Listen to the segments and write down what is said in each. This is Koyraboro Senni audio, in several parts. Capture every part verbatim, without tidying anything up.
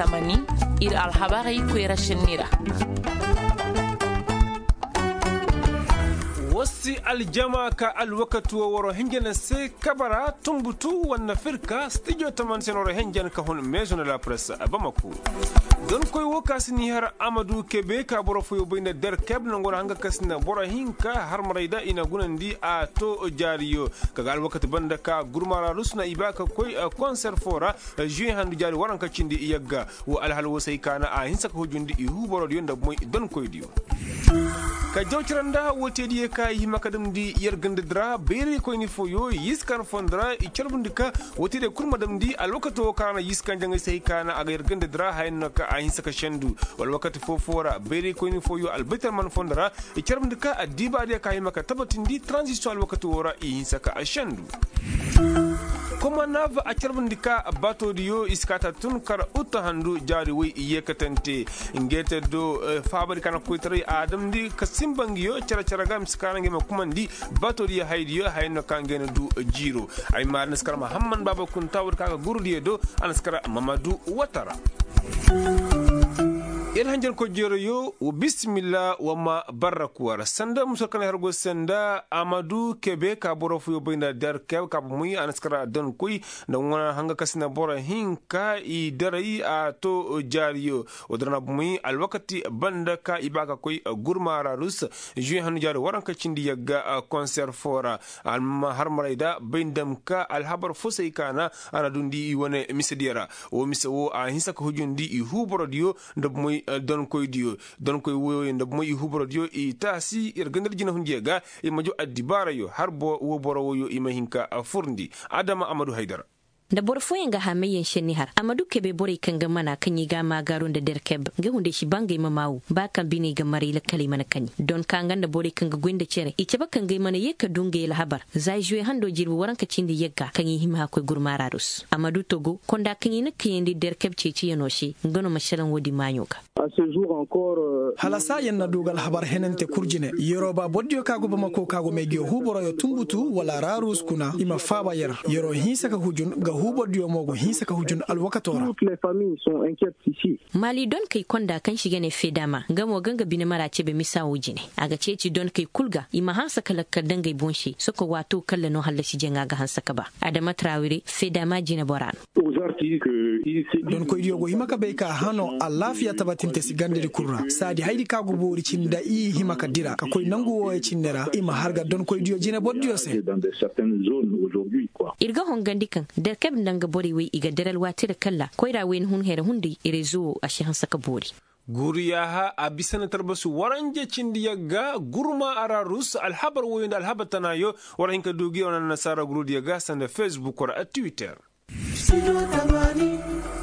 Tamani, ir alhabarey koyra senni ra. Woo si aljama ka alwakati woo waroo hinja na se kabara tunbutu wanna firka stijo taman se na waroo hinja na ka hun meezo na la press. Bamako, donkoy woo ka si ni har amadu kebe ka boro foyoo bay nda derkeb nangoo ra hanga ka si na boro hinka harmarey da i na gunandi a too jaariyo. Ka ga alwakati banda ka gurmaararus na i ba ka koy konser foo ra. Zuwe handu jaari waranka cindi yagga. Woo alhal woo se ay kaana a hinsa ka hujundi i huu borodiyo nda bomoy donkoydiyo. Ka jaw cere nda woo teediyo ka i hima ka damndi yer gandadi ra bayraykoyni fooyo yiiskan fondo ra i carbundi ka woo teediyo kul ma damndi alwakati woo ka ra na yiiskan jaŋay se ay kaana a ga yer gandadi ra haya no ka a hinsa ka sendu. Wala wakati foo foo ra bayraykoyni fooyo albaytalman fondo ra i carbundi ka addibaadiyo ka hima ka tabatindi taranzisiyoŋ alwakati woo ra i hinsa ka a sendu. Komanav a carbandi ka baatoodiyo i si kaata tun kar utta handu jaari woy i yeekatante. Ngeete do faabari ka na koytaray a damndi ka simba ngiyo cere-cere ga mise ka na ngey ma kumandi. Baatoodiyo haydiyo haya no ka ngey na du jiiro. Ay ma a na si kar mahamman baaba kunta woodi ka ga gurudiyo do a na si kar mamadu watara. Yer hanjarkoy jeerayo wa bisimilla wa ma barraku war sanda musor kanay har go sanda amadu kebe ka boro fuyo bay nda der kebe ka bomoy a na si kara donkoy nda ŋwana hanga ka si na boro hinka i daray a to jaariyo. Wodin ra bomoy alwakati banda ka i ba ka koy gurma ra rus. Juwe hannu jaari waranka cindi yagga konser foo ra. Amma harmaray da bay ndam ka alhabar foo se ay kaana a na dundi i wane misediyo ra. Woo mise woo a hinsa ka hujundi i huu borodiyo nda bomoy donkoydiyo. Donkoy wooyo nda bomoy i huu borodiyo i taasi yer gandar jinahundiyo ga. I ma jaw addibaarayo har woo boro wooyo i ma hin ka furndi. Adama amadu haydara. Nda boro fooyaŋ ga hamayyaŋ šenni har amadu kebe borey kaŋ ga mana kaŋ i ga a maagaaru nda derkeb nga hunday si ba ngey ma maawu ba kaŋ biney ga maray lakkaley mana kaŋi don ka nga nda borey kaŋ ga goy nda cere i cabe ka ngey mana yee ka du ngey alhabar. Za i zuwe hando jirbi waranka cindi yagga kaŋ i hima hakkoy gurmaararus amadu togo konda kaŋ i na kayandi derkeb ceeciyanoo se nga no ma šelaŋ woodin maaɲo ga. Hala saayaŋ na du ga alhabar henante kul jine yeroo ba bordiyo ka go bamako ka go may ga huu boroyo tunbutu wala raarus kuna i ma faaba yer. Yeroo hinsa ka hujun ga huu bordiyo mo go hinsa ka hujun alwakatoo ra. Maali donkey konda kaŋ si ga ne feedama nga mo ga nga bine mara cebe misa woo jine. A ga ceeci donkey kul ga i ma hanse ka lakkal dangey boŋ se soko waato kalla no hallasi jaŋa ga hanse ka ba. Adama trawire feedama jineboraa no. Donkoydiyo go hima ka bay ka hano alaafiya tabatinte si gandadi kul ra saadi hayadi ka go boori cindi nda i hima ka dira ka koy nangu wooyo cindi ra i ma har ga donkoydiyo jinebordiyo se. Ir ga hongandi kaŋ derkeb nda nga borey wey i ga dira alwaati ra kalla koyra wey na hun here hunday rezo woo a si hanse ka boori. Guru yaaha a bisa na talbasu waranja cindi yagga gurma a ra rus alhabar wooyo nda alhabar tanaayo. War hin ka du gi wane annasaara gurudiyo ga sanda fesbuk war a twitter.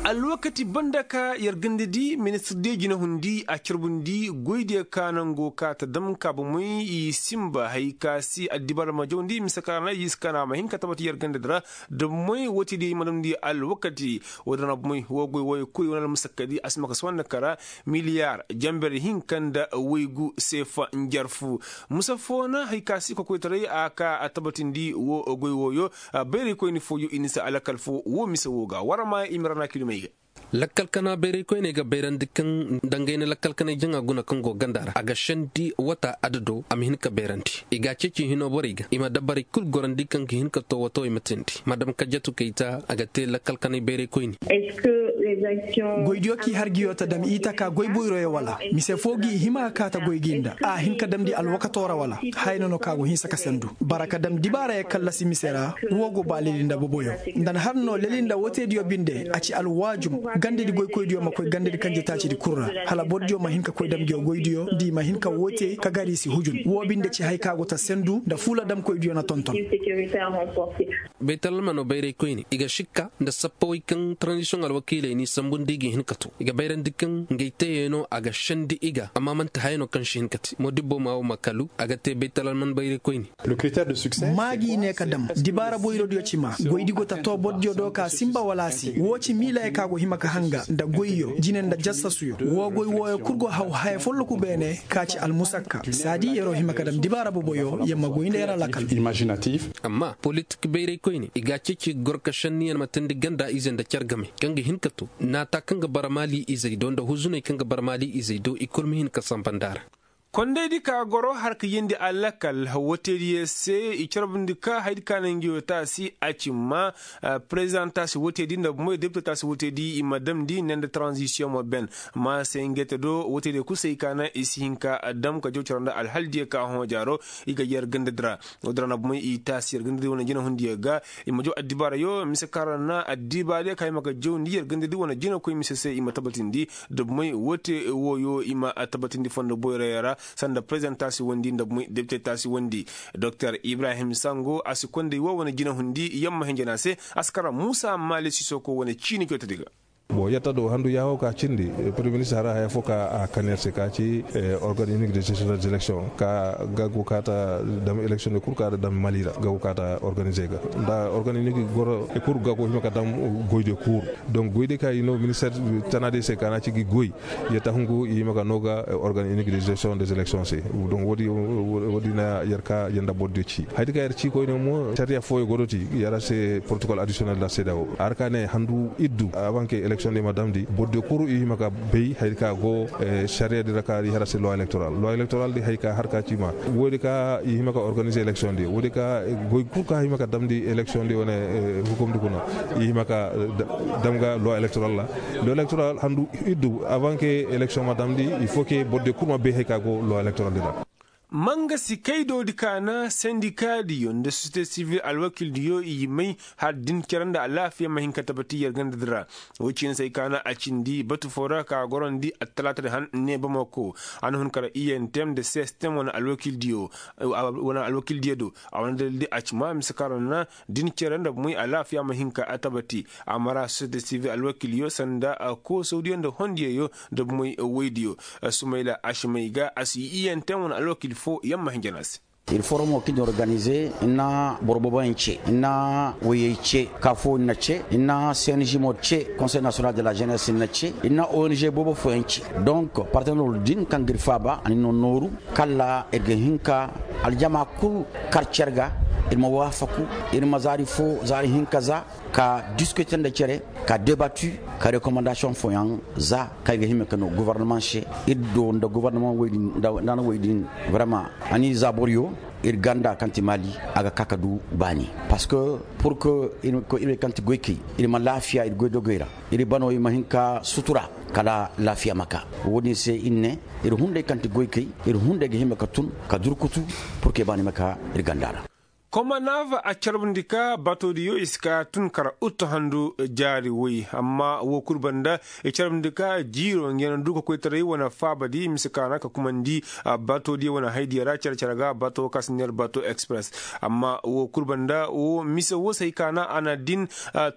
Alwakati banda ka yer ganda di ministir diyo jinahundi a carbundi goydiyo ka nango ka ta dam ka bomey i simba hay ka si addibaara ma jawndi mise ka ra na i si ka na a ma hin ka tabati yer ganda di ra. Da bomey woote diyo i ma damndi alwakati. Woo din ra bomey woo goy wooyo kul i wane almusakka di a si ma ka si wane kara miliyaar jamber hinka nda waygu seefa njarfu. Musa foo na hay ka si kokoytaray a ka a tabatindi woo goy wooyo. Bayraykoyni fooyo i na si alakal foo woo mise woo ga war ma i ma ra na kidumey ga. Lakkal kana bayraykoyney ga bayrandi kaŋ dangay na lakkal kanay jaŋa guna kaŋ go ganda ra a ga sendi wata adado a ma hin ka bayrandi. I ga a ceeci hino borey ga i ma dabarey kul gorandi kaŋ ga hin ka to wato i ma teendi madam kajatu kayta a ga te lakkal kanay bayraykoyni. Goydiyo k'i har giyo ta dam i taka goy boyroyo wala mise foo gi i hima ka ta goy gi nda a hin ka damndi alwakato ra wala? Haya no no ka go hinsa ka sendu bara ka dam dibaarayo kallasi mise ra. Woo go ba leli nda boboyo nda na har no leli nda wooteediyo binde a ci alwaajum. Gandadi goykoydiyo ma koy gandadi kanjetaacidi kul ra hala bordiyo ma hin ka koy dam ngiyo goydiyo nda i ma hin ka woote ka gar i si hujun woo binde ci hay ka go ta sendu nda fuula damkoydiyo na tonton. Baytalalmano bayraykoyne i ga sikka nda sappawey kaŋ taranzisiyoŋ alwakiiley n'i sambundi i ga hin ka to i ga bayrandi kaŋ ngey teeyey no a ga sendi i ga amma man'ti haya no kaŋ si hin ka te moodibbo ma wo ma kalu a ga te baytalalman bayraykoyne. Maa g'i ne ka dam dibaara boyrodiyo ci maa goydi go ta too bordiyo do ka sinba wala a si woo ci miilayey ka go hima ka hanga nda goyyo jine nda jassasuyo woo goy wooyo kul go haw haya folloku beene ka ci almusakka saadi yer'o hima ka dam dibaara boboyo yer ma goy nda yer alakal. Amma politik bayraykoyne i ga a ceeci ga goro ka šenni yer ma teendi ganda ize nda car game kaŋ ga hin ka naata kaŋ ga bara maali izey do nda huzuney kaŋ ga bara maali izey do i kul ma hin ka samba nda a ra. Kondaydi ka goro har ka yeendi alakal, wotediyo se i carbundi ka haydi ka na ngiyo taasi a ci ma, prezident taasi wotedi nda bumey depite taasi wotedi i ma damndi ne nda taranzisiyoŋ ma ben. Ma se ngey te do wotediyo kul se i ka na i si hin ka dam ka jaw cere nda alhaldiyo ka hõ jaaro. I ga yer gandadi ra. Woodin ra na bumey i taasi yer gandadi wane jinahundiyo ga. I ma jaw addibaarayo mise kaŋ ra na addibaadiyo ka hima ka jawndi yer gandadi wane jinakoy mise se i ma tabatindi. Dabmey woote wooyo i ma tabatindi fondo boyroyo ra sanda prezident taasi wondi dabmey depite taasi wondi. Doktor ibrahim sango a si konday woo wane jinahundi yamma hinjana se. A si kara muusa maali sisoko wane ciini cootedi ga. Bon yatta do handu yaaho ka cindi. Premier ministre hara haya fo ka a kan yer se ka ci organe unique de gestion des élections ka ga go ka ta dam élection de kul ka dam mali ra ga go ka ta organiser ga nda organe unique goro e kul ga go hima ka dam goy de kul. Donc goy de ka i no ministère tana de se ka na ci gi goy. Yatta hungu i hima ka no ga organe unique de gestion des élections se. Donc woodi na yer ka yer nda boro de ci haydi ka yer ci koyne mo sariya fooyo godoti. Yer a se protocole additionnel da seeda wo a ra ka ne handu iddu avant que élection de ma damndi boro de kul i hima ka bay haydi ka go sariya di ra ka i har a se loi électoral loi électoral di hay ka har ka ci ma woodi ka i hima ka organiser élection di woodi ka goy kul ka hima ka damndi élection di wane hukumdi kuna i hima ka dam ga loi électoral ra. Loi électoral handu iddu avant que élection ma damndi il faut que boro de kul ma bay hay ka go loi électoral di ra. Manga si kaydoodi ka na sendikaadiyo nda sosiyete sivil alwakildiyo i may har din cere nda alaafiya ma hin ka tabati yer gandadi ra. Woy ciini se ay ka na a cindi batu foo ra ka gorondi attalaatadi han ne bamako. A na hun kara iyentem nda sistem wane alwakildiyo do a wane dalildi a ci ma mise kaŋ ra na din cere nda bumey alaafiya ma hin ka a tabati. A mara sosiyete sivil alwakilyo sanda koosawdiyo nda hondiyeyo nda bumey woydiyo. Sumayla asimay ga a si iyentem wane alwakil foo yamma hinja no a se. Ir foromo kaŋ ir na organize ir na boro booboyaŋ ce, ir na woyey ce, ka foo ir na ce, ir na cng mo ce, conseil national de la jeunesse ir na ce, ir na ong boobo fooyaŋ ce. Donc partenairol din kaŋ ga ir faaba a na ir no nooru, kala ir ga hin ka aljama kul kar cer ga. Ir ma waafaku, ir ma zaari foo zaari hinka za ka diskuter nda cere, ka debatu, ka rekomandasiyoŋ fooyaŋ za kaŋ ay ga hima ka no gobornamaŋ se. Ir do nda gobornamaŋ woy din nda a na woy din. Vraiment a n'i za boroyo ir ganda kaŋ ti maali a ga ka ka du baani. Parceque pur que ir ma koy ir ma laafiya ir goydogey ra, ir bano i ma hin ka sutura kala laafiya ma ka. Wo-din se ir ne ir hunday kaŋ ti goykey, ir hunday ga hima ka tun ka durkutu pur que baani ma ka ir ganda ra. Komanav a carbundi ka batoodiyo i si ka tun kara uttu handu jaari woy. Amma woo kul banda i carbundi ka jiiro ngey na du ka koytaray wane faabadi mise ka na ka kumandi batoodiyo wane haydiyo ra care care ga bato ka si neer bato express. Amma woo kul banda woo mise woo se hay ka na a na din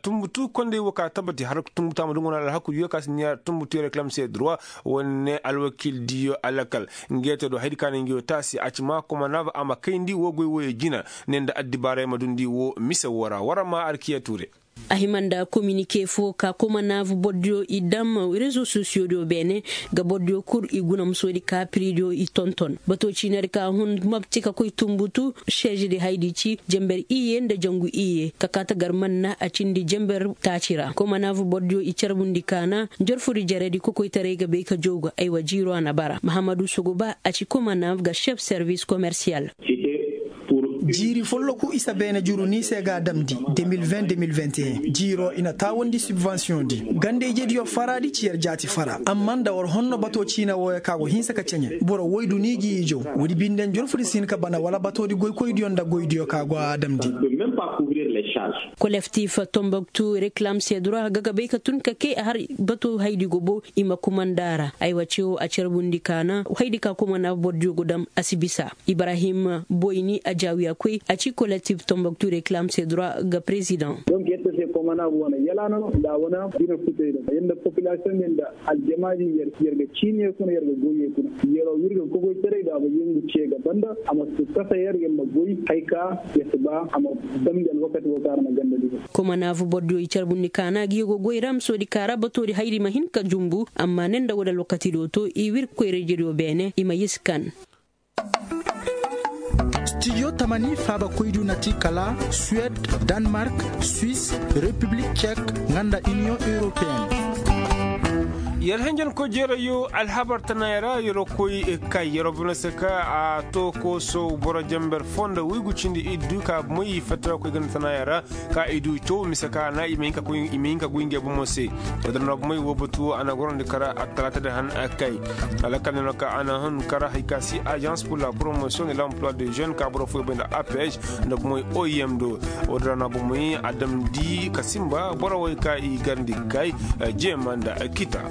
tunbutu konday woo ka tabati har tunbutu a ma dunguna alhakudiyo ka si neer tunbutu reklam se droit. Wane alwakildiyo alakal ngeeto do haydi ka na ngi woo taasi a ci ma komanav a ma kayndi woo goy wooyo jina. Ne nda addibaaray ma dundi woo mise woo ra war ma arkiya tuure. A hima nda kominike foo ka komanav borodiyo i dam rezo sosiyodiyo beene ga borodiyo kul i guna musoodi ka piridiyo i tonton bato ciinadi ka hun mabti ka koy tunbutu. Seezedi haydi ci jember iyye nda jangu iyye ka kaa tagarman na a cindi jember taaci ra komanav borodiyo i carbundi ka na njorfudi jeredi kokoytaray ga bay ka jooga aywa jiiro a na bara mahammadu sogoba a ci komanav ga chef servis komersiyal. Jiiri folloku isa beene juru ni se ga a damndi de mil vingt de mil vingt et un jiiro i na taawandi sibvansiyoŋ di. Ganda-ijediyo faraadi ci yer jaati fara amma nda war honno bato ciina wooyo ka go hinsa ka ceɲe boro woy du ni gi ijo. Woodi binde njorfudi si hin ka bana wala batoodi goykoydiyo nda goydiyo ka go a damndi. Kolektif tomboktu reklam sedura ga ga bay ka tun ka kay a har bato haydi go bo i ma kumanda ra. Aywa cewo a carbundi ka na haydi ka kumanda bordiyo go dam a si bisa. Ibrahim boyni a jaawiya koy a ci kolektif tomboktu reklam sedura ga prezidaŋ. Donk yette se komana wane yalaana no nda a wane bine futay no yanda populasiyoŋ din nda aljamaadi yer ga ciiniye kuna yer ga goyye kuna. Yero ir ga kokoytaray da a ma yengu ce ga banda a ma si kasa yer yer ma goy hay ka yer si ba a ma damndi alwakati wo kaŋ a na ganda di. Komanavu bordiyo i carbundi kaana gi yogo goy ra ma soodi kaara batoodi hayri ma hin ka jumbu amma ne nda woodi alwakati do to i wir koyra-ijediyo beene i ma yee si kan. Studio tamani faabakoydiyo na ti kala suwed, danmark, swis, repiblik cek nga nda iniyoŋ europeen. Yer henjen koy jeerayo alhabar tanaaya ra yer koy kay yer buna se ka a to kooso boro jamber foo nda waygu cindi iddu ka bumey i fatta koy ganda tanaaya ra ka i du caw mise ka a na i ma hin ka goy ngey bomo se. Woo din ra bumey woo batu woo a na gorandi kara attalaata di han kay. Alakal no ka a na hun kara hari ka si agence pour la promotion de l'emploi de jeune ka boro fooyoo bay nda aph nda bumey oim do. Woo din ra no bumey a damndi ka sinba boro wey ka i garndi kay jeema nda kita.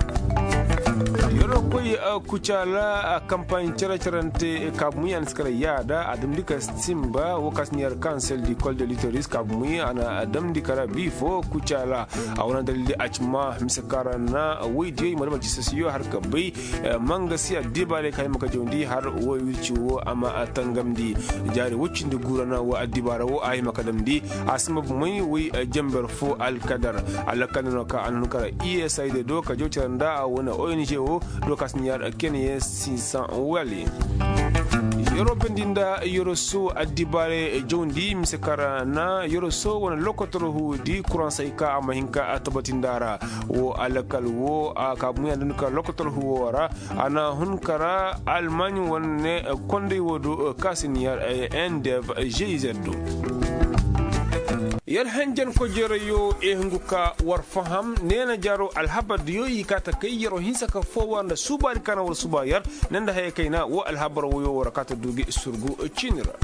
Yer koy kucaala kampaaɲ cere-cerante kaabu muyi a na si kala yaada a damndi ka sinba woo ka si na yer kansel di kol de litoris kaabu muyi a na damndi kala bii foo kucaala. A wane dalil di a ci ma mise ka ra na woydiyo i ma dam a ci sasiyo har ka bay. Ma nga si addibaarey ka hima ka jawndi har woy wirci woo a ma tangamndi. Jaari woy cindi guura na woo addibaara woo a hima ka damndi. A si ma bumey woy jamber foo alkadar. Alakal no ka a na hun kara i s i d do ka jaw cere nda a wane o n g woo do ka si na yer kene ye sinsan wali. Yeroo bendi nda yeroo soo addibaarey jawndi mise ka ra na yeroo soo wane lokotor huudi kuransey ka a ma hin ka tabatinda ra. Woo alakal woo a kaabu muyi a na hun kara lokotor huuwoo ra. A na hun kara almaaɲi wane kondey woo do ka si na yer n d f g z do. Yer henjen kojeerayo i hungu ka war faham neena jaaroo alhabardiyo i kaa ta kay yeroo hinsa ka foo war nda suubaadi ka na war suuba yer ne nda haya kayna woo alhabar woyoo war kaa ta du gi surgu ciini ra.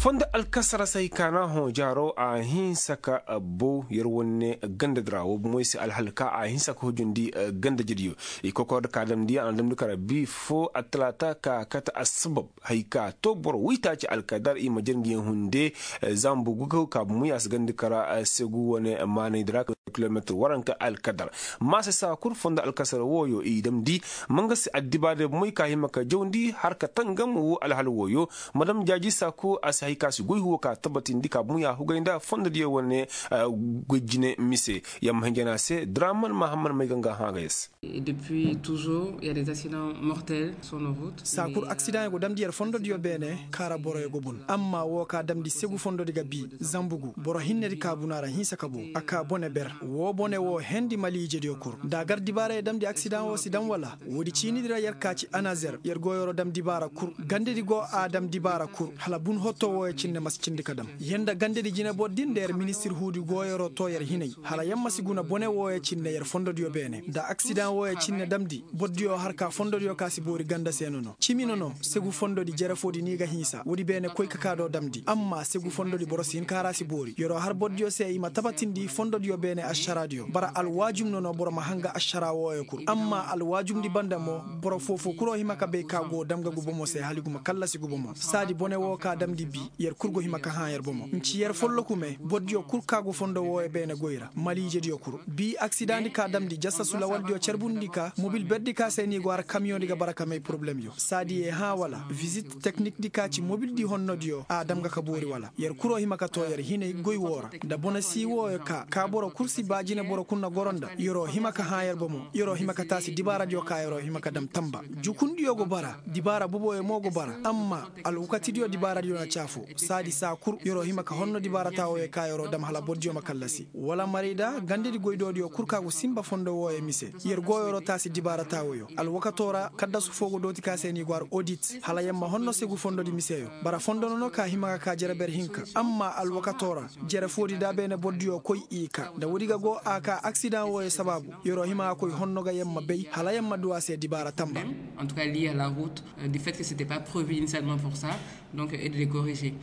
Fondo alkasara se hay ka na hõ jaaro a hinsa ka bow yer wane gandadi ra wo bomoy se alhal ka a hinsa ka hujundi gandadidiyo. I kokor da ka damndi a na damndi kara bi fo attalaata ka kate assabab hay ka to boro waytaaci alkadar i ma jere ngi yaŋ hunde. Zambu gugaw ka bomoy a si gandi kara segu wane maanaydi ra kilometir waranka alkadar. Maase saa kul fondo alkasara wooyo i damndi ma nga si addibaade bomoy ka hima ka jawndi har ka tangam wo alhal wooyo. Madam jaaji saaku a si hay ka si goy huwo ka tabatindi ka bomoy a hugay nda fondodiyo wane goy jine mise. Yamma hinjana se draman mahamman may ga nga hã ga ya se. Saa kul aksidaŋ yaŋ go damndi yer fondodiyo beene kaara boroyo go bun amma woo ka damndi segu fondodi ga bii zambugu boro hinnedi kaabuna ra hinsa ka bow a kaa bone ber. Woo bone woo hendi maliijediyo kul nda a gar dibaara ye damndi aksidaŋ woo si daŋ wala? Woodi ciinidi ra yer kaa ci anazer yer go yeroo dam dibaara kul gandedi go a dam dibaara kul hala bun hotto wooyo cinne ma si cindi ka dam. Yer nda gandedi jinebor din nda yer ministir huudi go yeroo too yer hinay hala yer ma si guna bone wooyo cinne yer fondodiyo beene nda aksidaŋ wooyo cinne damndi. Bordiyo har ka fondodiyo ka si boori ganda se nono cimi nono segu fondodi jere foodi ni ga hinsa woodi beene koy ka kaa do damndi amma segu fondodi boro si hin ka har a si boori yeroo har bordiyo se i ma tabatindi fondodiyo beene ašaraadiyo bara alwaajum nono boro ma hanga ašaraa wooyo kul amma alwaajumdi banda mo boro foofoo kuloo hima ka bay ka go dam ga gu bomo se hala i gu ma kallasi gu bomo saadi bone woo ka damndi bii yer kul go hima ka hã yer bomo nci yer folloku me bordiyo kul ka go fondo wooyo beene goy ra maliijediyo kul bii aksidaŋdi ka damndi jasasu lawaldiyo carbundi ka mobil berdi ka se ni go har kamiyoŋdi ga bara ka may porobulemyo saadi ye hã wala vizit teknikdi ka ci mobildi honnodiyo a dam ga ka boori wala yer kuloo hima ka too yer hinay goy woo ra nda bone sii wooyo ka ka boro kul si ba jine boro kul na goro nda yeroo hima ka hã yer bomo yeroo hima ka taasi dibaaradiyo ka yeroo hima ka dam tamba jukundiyo go bara dibaara boboyo mo go bara amma alwakatidiyo dibaaradiyo na caafo saadi saa kul yeroo hima ka honno dibaara taawooyo ka yeroo dam hala bordiyo ma kallasi wala marayda gandedi goydoodiyo kul ka go sinba fondo wooyo mise yer go yeroo taasi dibaara taawoyo alwakatoo ra kaddasu foo go dooti ka se ni go har odit hala yer ma honno segu fondodi miseyo bara fondo nono ka hima ga ka jere ber hinka amma alwakatoo ra jere foodi da beene bordiyo koy i ka nda woodi ga go a ka aksidaŋ wooyo sabaabu yeroo hima ga koy honno ga yer ma bay hala yer ma du a se dibaara tamba. En tout cas lié à la route du fait que c'était pas prévu initialement pour ça. Donc et de les corriger.